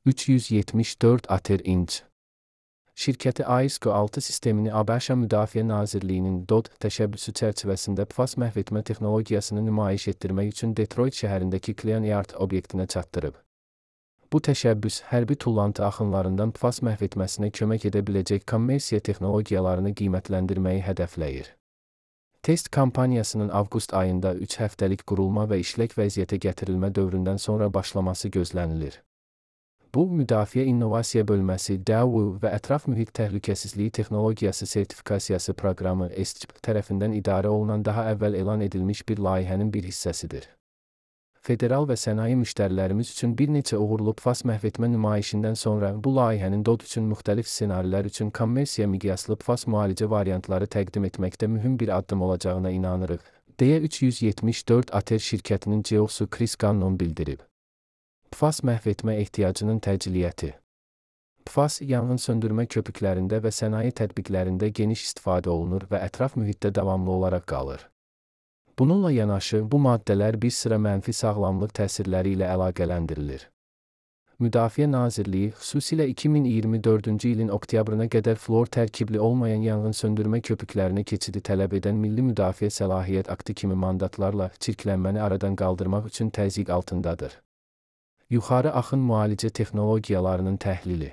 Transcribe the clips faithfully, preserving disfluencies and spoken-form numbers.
üç yüz yetmiş dörd ATER inc. Şirkəti A I S C O altı sistemini ABŞ Müdafiə Nazirliyinin D O D təşəbbüsü çərçivəsində P F A S məhv etmə texnologiyasını nümayiş etdirmək üçün Detroit şəhərindəki Klean Yard obyektinə çatdırıb. Bu təşəbbüs, hərbi tullantı axınlarından P F A S məhv etməsinə kömək edə biləcək kommersiya texnologiyalarını qiymətləndirməyi hədəfləyir. Test kampaniyasının avqust ayında üç həftəlik qurulma və işlək vəziyyətə gətirilmə dövründən sonra başlaması gözlənilir. Bu, Müdafiə İnnovasiya Bölməsi D A V və Ətraf Mühit Təhlükəsizliyi Texnologiyası Sertifikasiyası Proqramı S T P tərəfindən idarə olunan daha əvvəl elan edilmiş bir layihənin bir hissəsidir. Federal və sənaye müştərilərimiz üçün bir neçə uğurlu P F A S məhv etmə nümayişindən sonra bu layihənin D O D üçün müxtəlif ssenarilər üçün kommersiya miqyaslı P F A S müalicə variantları təqdim etməkdə mühüm bir addım olacağına inanırıq, deyə üç yüz yetmiş dörd ATER şirkətinin C E O-su Chris Gannon bildirib. P F A S məhv etmə ehtiyacının təciliyyəti. P F A S, yanğın söndürmə köpüklərində və sənaye tətbiqlərində geniş istifadə olunur və ətraf mühitdə davamlı olaraq qalır. Bununla yanaşı, bu maddələr bir sıra mənfi sağlamlıq təsirləri ilə əlaqələndirilir. Müdafiə Nazirliyi, xüsusilə iki min iyirmi dördüncü ilin oktyabrına qədər fluor tərkibli olmayan yanğın söndürmə köpüklərinə keçidi tələb edən Milli Müdafiə Səlahiyyət Aktı kimi mandatlarla çirklənməni aradan qaldırmaq üçün təzyiq altındadır. Yuxarı axın müalicə texnologiyalarının təhlili.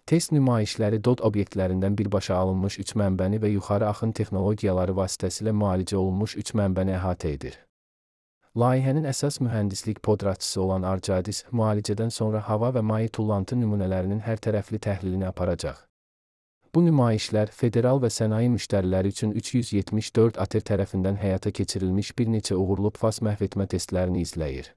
Test nümayişləri D O D obyektlərindən birbaşa alınmış üç mənbəni və yuxarı axın texnologiyaları vasitəsilə müalicə olunmuş üç mənbəni əhatə edir. Layihənin əsas mühəndislik podratçısı olan Arcadis, müalicədən sonra hava və maye tullantı nümunələrinin hər tərəfli təhlilini aparacaq. Bu nümayişlər, federal və sənaye müştəriləri üçün üç yüz yetmiş dörd ATER tərəfindən həyata keçirilmiş bir neçə uğurlu P F A S məhv etmə testlərini izləyir.